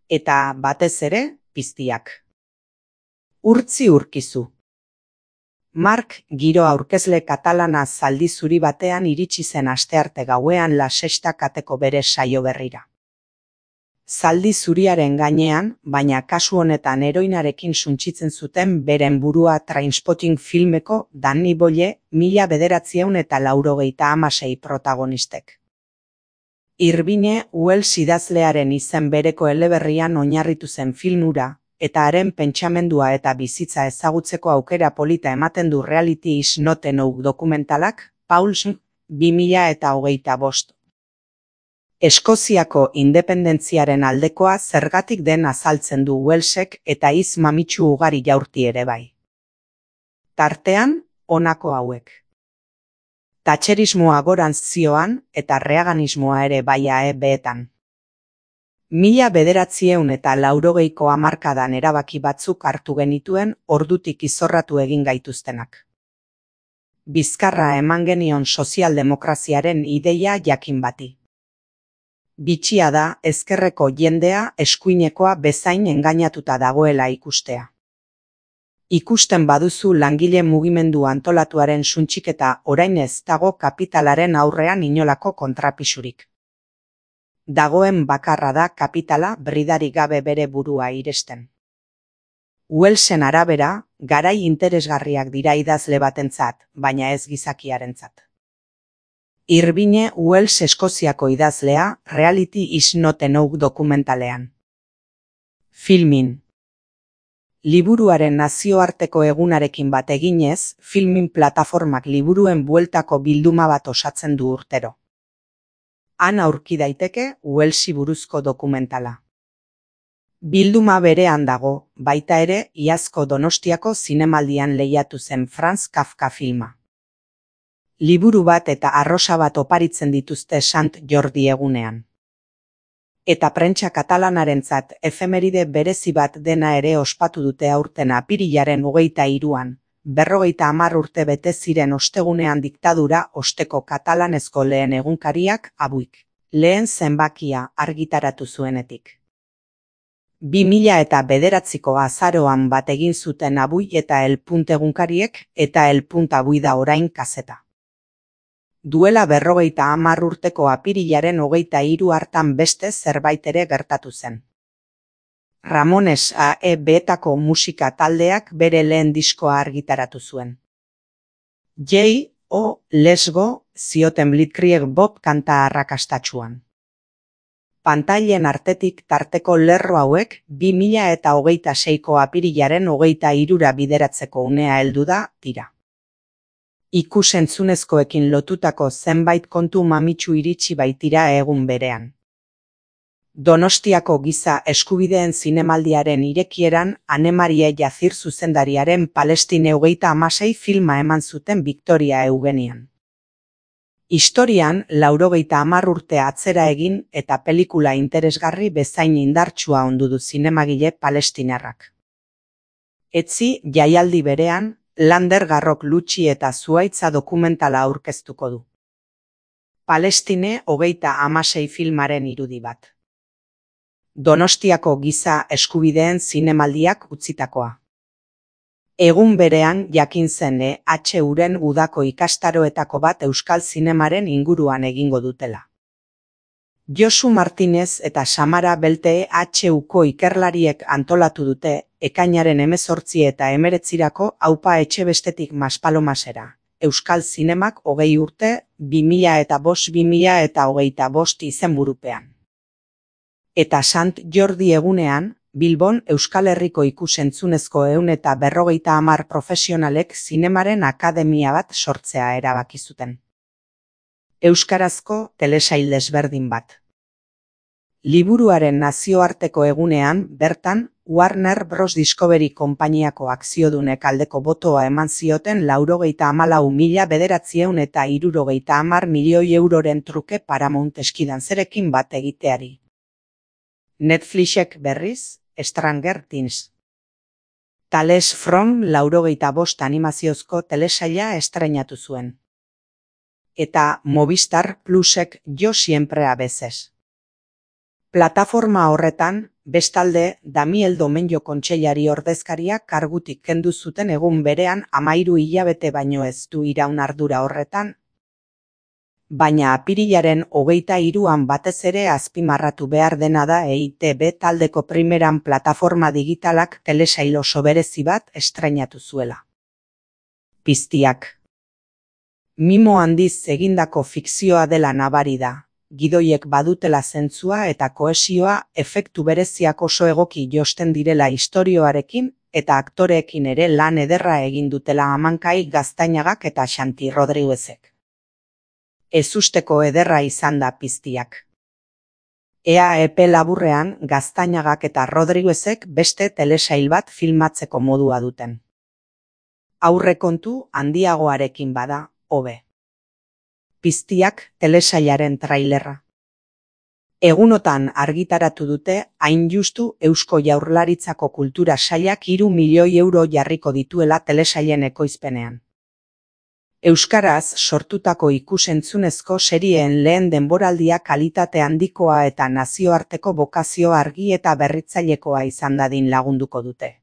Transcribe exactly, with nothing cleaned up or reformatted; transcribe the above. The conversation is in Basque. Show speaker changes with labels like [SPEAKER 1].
[SPEAKER 1] Eta batez ere, piztiak. Urtzi urkizu. Mark Giro aurkezle katalana zaldi zuri batean iritsi zen astearte gauean La Sexta kateko bere saio berrira. Zaldi zuriaren gainean, baina kasu honetan heroinarekin suntsitzen zuten beren burua Trainspotting filmeko Danny Boyle mila bederatziehun eta laurogeita hamasei protagonistek. Irvine Wells idazlearen izen bereko eleberrian oinarritu zen film hura, eta haren pentsamendua eta bizitza ezagutzeko aukera polita ematen du Reality is not enough dokumentalak, Pauls, bi mila hogeita bost. Eskoziako independentziaren aldekoa zergatik den azaltzen du Wellsek eta hitz mamitsu ugari jaurti ere bai. Tartean, honako hauek. Thatcherismoa gorantz zioan eta reaganismoa ere bai A E B-etan. Mila bederatziehun eta laurogeiko hamarkadan erabaki batzuk hartu genituen ordutik izorratu egin gaituztenak. Bizkarra eman genion sozialdemokraziaren ideia jakin bati. Bitxia da ezkerreko jendea eskuinekoa bezain engainatuta dagoela ikustea. Ikusten baduzu langile mugimendu antolatuaren suntxiketa orain ez dago kapitalaren aurrean inolako kontrapisurik. Dagoen bakarra da kapitala bridari gabe bere burua iresten. Wellsen arabera, garai interesgarriak dira idazle batentzat, baina ez gizakiarentzat. Irvine Wells Eskoziako idazlea, Reality is not enough dokumentalean. Filmin. Liburuaren nazioarteko egunarekin bat eginez, Filmin plataformak liburuen bueltako bilduma bat osatzen du urtero. Han aurki daiteke Wellsi buruzko dokumentala. Bilduma berean dago, baita ere, iazko Donostiako zinemaldian lehiatu zen Franz Kafka filma. Liburu bat eta arrosa bat oparitzen dituzte Sant Jordi egunean. Eta prentsa katalanarentzat efemeride berezi bat dena ere ospatu dute aurten apirilaren hogeita hiruan, berrogeita hamar urte bete ziren ostegunean diktadura osteko katalanezko lehen egunkariak Abuik, lehen zenbakia argitaratu zuenetik. Bi mila eta bederatziko azaroan bat egin zuten Abui eta El Punt egunkariek eta El Punt Abui da orain kazeta. Duela berrogeita hamar urteko apirilaren hogeita hiru hartan beste zerbait ere gertatu zen. Ramones A E B-etako musika taldeak bere lehen diskoa argitaratu zuen. J O Let's Go zioten Blitzkrieg Bob kanta arrakastatsuan. Pantailen artetik tarteko lerro hauek bi mila eta hogeita seiko apirilaren hogeita hirura bideratzeko unea heldu da dira. Ikus-entzunezkoekin lotutako zenbait kontu mamitsu iritsi baitira egun berean. Donostiako giza eskubideen zinemaldiaren irekieran Anemarie Jazir zuzendariaren Palestine hogeita hamasei filma eman zuten Victoria Eugenian. Historian laurogeita hamar urte atzera egin eta pelikula interesgarri bezain indartsua ondu du zinemagile palestinarrak. Etzi jaialdi berean, Lander Garrok Lutxi eta Zuhaitza dokumentala aurkeztuko du. Palestine hogeita hamasei filmaren irudi bat. Donostiako giza eskubideen zinemaldiak utzitakoa. Egun berean jakin zen E H Uren udako ikastaroetako bat euskal zinemaren inguruan egingo dutela. Josu Martinez eta Samara Belte E H Uko ikerlariek antolatu dute ekainaren hemezortzi eta hemeretzirako Aupa Etxebestetik Maspalomasera. Euskal zinemak hogei urte, bi mila eta bost bi mila eta hogeita bost izenburupean. Eta Sant Jordi egunean, Bilbon Euskal Herriko ikus-entzunezko ehun eta berrogeita hamar profesionalek zinemaren akademia bat sortzea erabaki zuten. Euskarazko telesail desberdin bat. Liburuaren nazioarteko egunean, bertan, Warner Bros. Discovery konpainiako akziodunek aldeko botoa eman zioten laurogeita hamalau mila bederatzieun eta hirurogeita hamar milioi euroren truke Paramount Eskidanzerekin bat egiteari. Netflixek berriz, Stranger Things. Tales from laurogeita bost animaziozko telesaila estreinatu zuen. Eta Movistar Plusek Yo siempre a veces. Plataforma horretan, bestalde, Damiel Domenyo kontseilari ordezkaria kargutik kendu zuten egun berean hamahiru hilabete baino ez du iraun ardura horretan, baina apirilaren hogeita hiruan batez ere azpimarratu behar dena da E I Te Be taldeko primeran plataforma digitalak telesail oso berezi bat estrainatu zuela. Piztiak. Mimo handiz egindako fikzioa dela nabari da, gidoiek badutela zentzua eta kohesioa efektu bereziak oso egoki josten direla istorioarekin eta aktoreekin ere lan ederra egin dutela Amankai Gaztañagak eta Xanti Rodriguezek. Ezusteko ederra izan da Piztiak. Ea epe laburrean Gaztañagak eta Rodriguezek beste telesail bat filmatzeko modua duten. Aurrekontu handiagoarekin bada, hobe. Piztiak telesailaren trailerra. Egunotan argitaratu dute hain justu Eusko Jaurlaritzako Kultura Sailak hiru milioi euro jarriko dituela telesailen ekoizpenean. Euskaraz sortutako ikus-entzunezko serien lehen denboraldia kalitate handikoa eta nazioarteko bokazio argi eta berritzailekoa izan dadin lagunduko dute.